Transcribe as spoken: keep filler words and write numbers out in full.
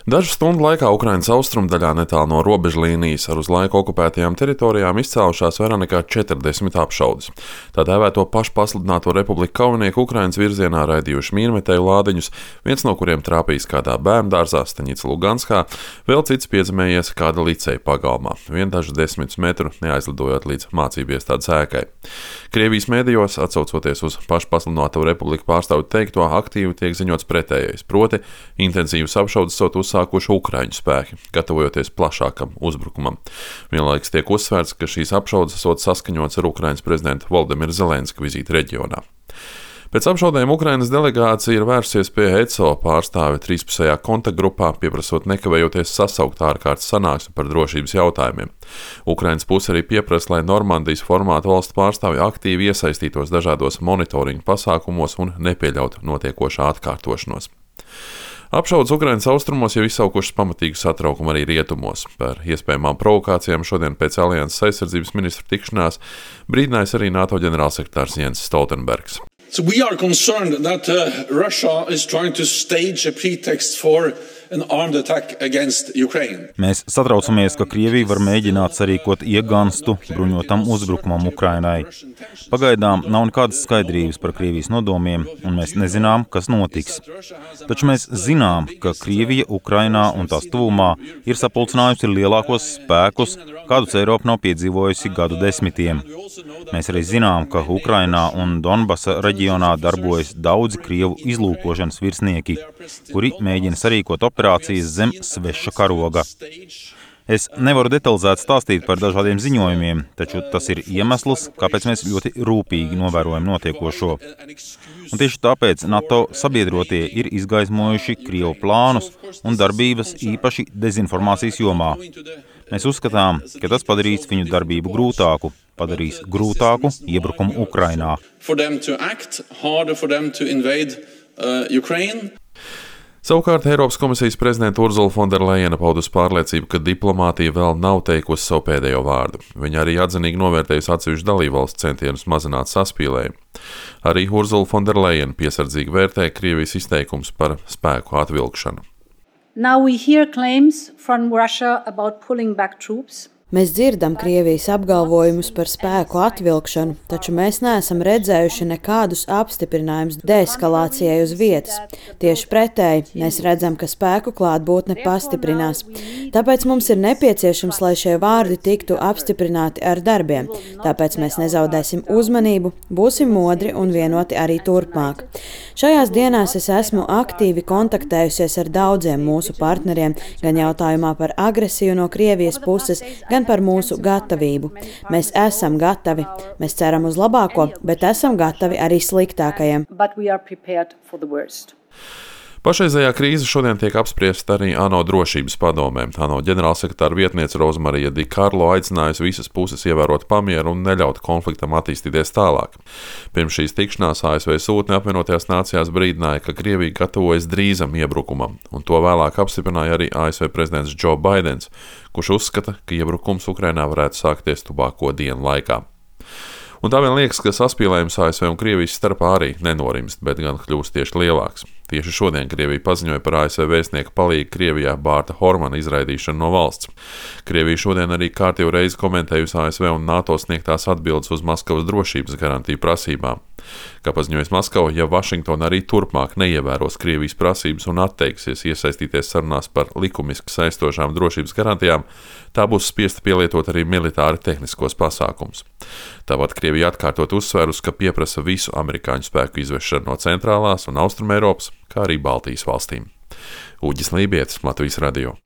Dažu stundu laikā Ukrainas austrumdaļā netālu no robežlīnijas ar uz laiku okupētajām teritorijām izcēlušās vairāk nekā četrdesmit apšaudes. Tā dēvēto pašpasludināto republiku kaujinieku Ukrainas virzienā raidījuši mīnmetēju lādiņus, viens no kuriem trāpījis kādā bērndārzā Staņica Luganskā, vēl cits piezemējies kāda liceja pagalmā, vien dažus desmitus metru neaizlidojot līdz mācību iestādes ēkai. Krievijas mēdījos, atsaucoties uz pašpasludināto republiku pārstāvju teikto, aktīvi tiek ziņots pretējais, proti intensīvas apšaudes sot uzsākuši Ukraiņu spēki, gatavojoties plašākam uzbrukumam. Vienlaikus tiek uzsvērts, ka šīs apšaudes esot saskaņots ar Ukrainas prezidenta Volodimira Zelenska vizīti reģionā. Pēc apšaudēm Ukrainas delegācija ir vērsies pie E C O pārstāve trīspusējā kontaktgrupā, pieprasot nekavējoties sasaukt ārkārtas sanāksmi par drošības jautājumiem. Ukrainas puse arī pieprasa, lai Normandijas formāta valstu pārstāvji aktīvi iesaistītos dažādos monitoringa pasākumos un nepieļautu notiekošā atkārtošanos. Apšaudes Ukrainas austrumos jau izsaukušas pamatīgu satraukumu arī rietumos. Par iespējamām provokācijām šodien pēc Alianses aizsardzības ministru tikšanās brīdinājis arī NATO ģenerālsekretārs Jens Stoltenbergs. So we are concerned that uh, Russia is trying to stage a pretext for an armed attack against Ukraine. Mēs satraucamies, ka Krievija var mēģināt sarīkot iegānstu bruņotam uzbrukumam Ukrainai. Pagaidām nav nekādas skaidrības par Krievijas nodomiem, un mēs nezinām, kas notiks. Taču mēs zinām, ka Krievija Ukrainā un tās tuvumā ir sapulcinājusi lielākos spēkus, kādus Eiropa nav piedzīvojusi gadu desmitiem. Mēs arī zinām, ka Ukrainā un Donbasa reģionā darbojas daudzi Krievu izlūkošanas virsnieki, kuri mēģina sarīkot operācijas zem sveša karoga. Es nevaru detalizēt stāstīt par dažādiem ziņojumiem, taču tas ir iemesls, kāpēc mēs ļoti rūpīgi novērojam notiekošo. Un tieši tāpēc NATO sabiedrotie ir izgaismojuši Krievu plānus un darbības īpaši dezinformācijas jomā. Mēs uzskatām, ka tas padarīs viņu darbību grūtāku, padarīs grūtāku iebrukumu Ukrainā. For them to act, harder for them to invade uh, Ukraine. Savukārt Eiropas komisijas prezidenta Urzula Fonderlejena paudusi pārliecību, ka diplomātija vēl nav teikusi savu pēdējo vārdu. Viņa arī atzinīgi novērtējusi atsevišķu dalībvalstu centienus mazināt saspīlējumu. Arī Urzula Fonderlejena piesardzīgi vērtē Krievijas izteikums par spēku atvilkšanu. Now we hear claims from Russia about pulling back troops. Mēs dzirdam Krievijas apgalvojumus par spēku atvilkšanu, taču mēs neesam redzējuši nekādus apstiprinājumus deeskalācijai uz vietas. Tieši pretēji, mēs redzam, ka spēku klātbūtne pastiprinās. Tāpēc mums ir nepieciešams, lai šie vārdi tiktu apstiprināti ar darbiem. Tāpēc mēs nezaudēsim uzmanību, būsim modri un vienoti arī turpmāk. Šajās dienās es esmu aktīvi kontaktējusies ar daudziem mūsu partneriem, gan jautājumā par agresiju no Krievijas puses, gan par mūsu gatavību. Mēs esam gatavi. Mēs ceram uz labāko, bet esam gatavi arī sliktākajam. Pašreizējā krīze šodien tiek apspriesta arī ANO drošības padomē. ANO ģenerālsekretāra vietniece Rozmarija Di Karlo aicinājusi visas puses ievērot pamieru un neļaut konfliktam attīstīties tālāk. Pirms šīs tikšanās A S V sūtne apvienotajās nācijās brīdināja, ka Krievija gatavojas drīzam iebrukumam, un to vēlāk apstiprināja arī A S V prezidents Joe Baidens, kurš uzskata, ka iebrukums Ukrainā varētu sākties tuvāko dienu laikā. Un tā vien liekas, ka saspīlējums A S V un Krievijas starpā arī nenorimst, bet gan kļūst tieši lielāks. Tieši šodien Krievija paziņoja par A S V vēstnieka palīgu Krievijā Bārta Hormana izraidīšanu no valsts. Krievija šodien arī kārtīgu reizi komentējusi A S V un NATO sniegtās atbildes uz Maskavas drošības garantiju prasībām. Kā paziņojas Maskava, ja Vašingtona arī turpmāk neievēros Krievijas prasības un atteiksies iesaistīties sarunās par likumiski saistošām drošības garantijām, tā būs spiesta pielietot arī militāri tehniskos pasākumus. Tāpat Krievija atkārtot uzsvērus, ka pieprasa visu amerikāņu spēku izvešanu no centrālās un austrumēropas, kā arī Baltijas valstīm. Uģis Lībietis, Latvijas radio.